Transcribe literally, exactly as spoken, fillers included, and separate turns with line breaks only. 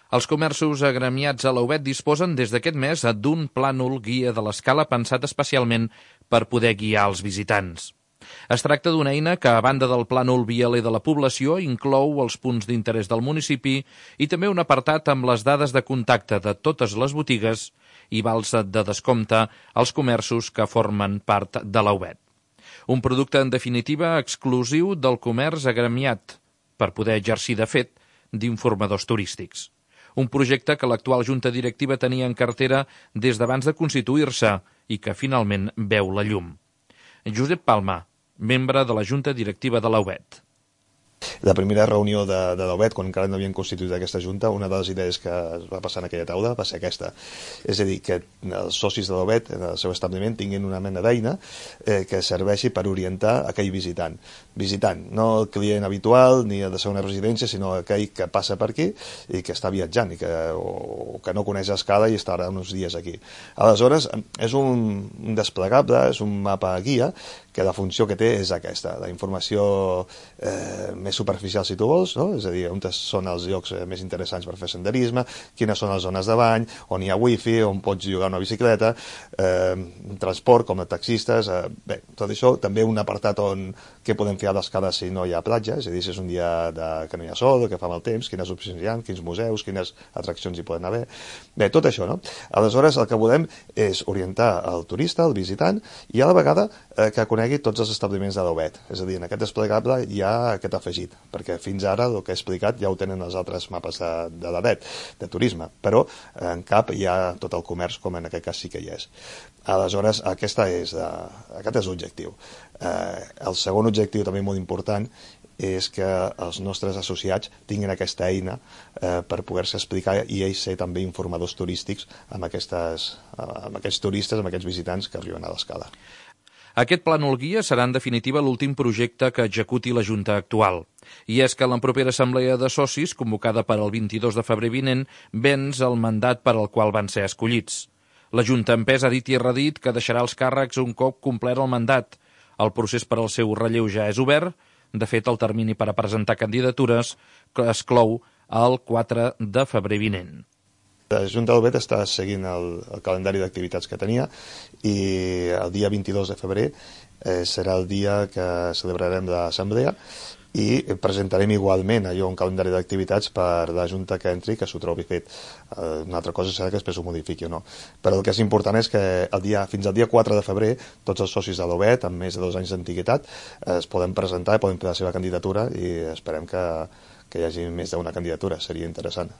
Els comerços agremiats a l'Aubet disposen des d'aquest mes d'un plànol guia de l'escala pensat especialment per poder guiar els visitants. Es tracta d'una eina que, a banda del plànol vialer de la població, inclou els punts d'interès del municipi i també un apartat amb les dades de contacte de totes les botigues i vals de descompte als comerços que formen part de l'Aubet. Un producte, en definitiva, exclusiu del comerç agremiat, per poder exercir, de fet, d'informadors turístics. Un projecte que l'actual junta directiva tenia en cartera des d'abans de constituir-se i que finalment veu la llum. Josep Palma, membre de la junta directiva de l'Aubet.
La primera reunió de, de l'Aubet, quan encara no havien constituït aquesta junta, una de les idees que es va passar en aquella taula va ser aquesta. És a dir, que els socis de l'Aubet en el seu establiment tinguin una mena d'eina eh, que serveixi per orientar aquell visitant. Visitant, no el client habitual ni el de segona residència, sinó aquell que passa per aquí i que està viatjant i que, o, que no coneix Escala i estarà uns dies aquí. Aleshores, és un, un desplegable, és un mapa guia que la funció que té és aquesta, la informació eh, més superficial, si tu vols, no? És a dir, on són els llocs eh, més interessants per fer senderisme, quines són les zones de bany, on hi ha wifi, on pots llogar una bicicleta, eh, transport com a taxistes, eh, bé, tot això, també un apartat on què podem fer a l'Escala si no hi ha platja, és a dir, si és un dia de, que no hi ha sol, que fa mal temps, quines opcions hi ha, quins museus, quines atraccions hi poden haver, bé, tot això, no? Aleshores, el que volem és orientar el turista, el visitant, i a la vegada eh, que conegui tots els establiments de l'Aubet. És a dir, en aquest desplegable hi ha aquest afegit, perquè fins ara el que he explicat ja ho tenen els altres mapes de, de l'Aubet, de turisme, però en cap hi ha tot el comerç, com en aquest cas sí que hi és. Aleshores, aquesta és, uh, aquest és l'objectiu. Uh, el segon objectiu, també molt important, és que els nostres associats tinguin aquesta eina eh, per poder-se explicar i ells ser també informadors turístics amb, aquestes, amb aquests turistes, amb aquests visitants que arriben a l'Escala.
Aquest plànol guia serà en definitiva l'últim projecte que executi la Junta actual. I és que la propera assemblea de socis, convocada per al vint-i-dos de febrer vinent, venç el mandat per al qual van ser escollits. La Junta en pes ha dit i redit que deixarà els càrrecs un cop complert el mandat. El procés per al seu relleu ja és obert. De fet, el termini per a presentar candidatures es clou el quatre de febrer vinent.
La Junta de l'Aubet està seguint el, el calendari d'activitats que tenia i el dia vint-i-dos de febrer eh, serà el dia que celebrarem l'assemblea i presentarem igualment allò un calendari d'activitats per la Junta que entri que s'ho trobi fet. Eh, una altra cosa serà que després ho modifiqui o no. Però el que és important és que el dia, fins al dia quatre de febrer tots els socis de l'Aubet amb més de dos anys d'antiguitat eh, es poden presentar i poden fer la seva candidatura i esperem que, que hi hagi més d'una candidatura. Seria interessant.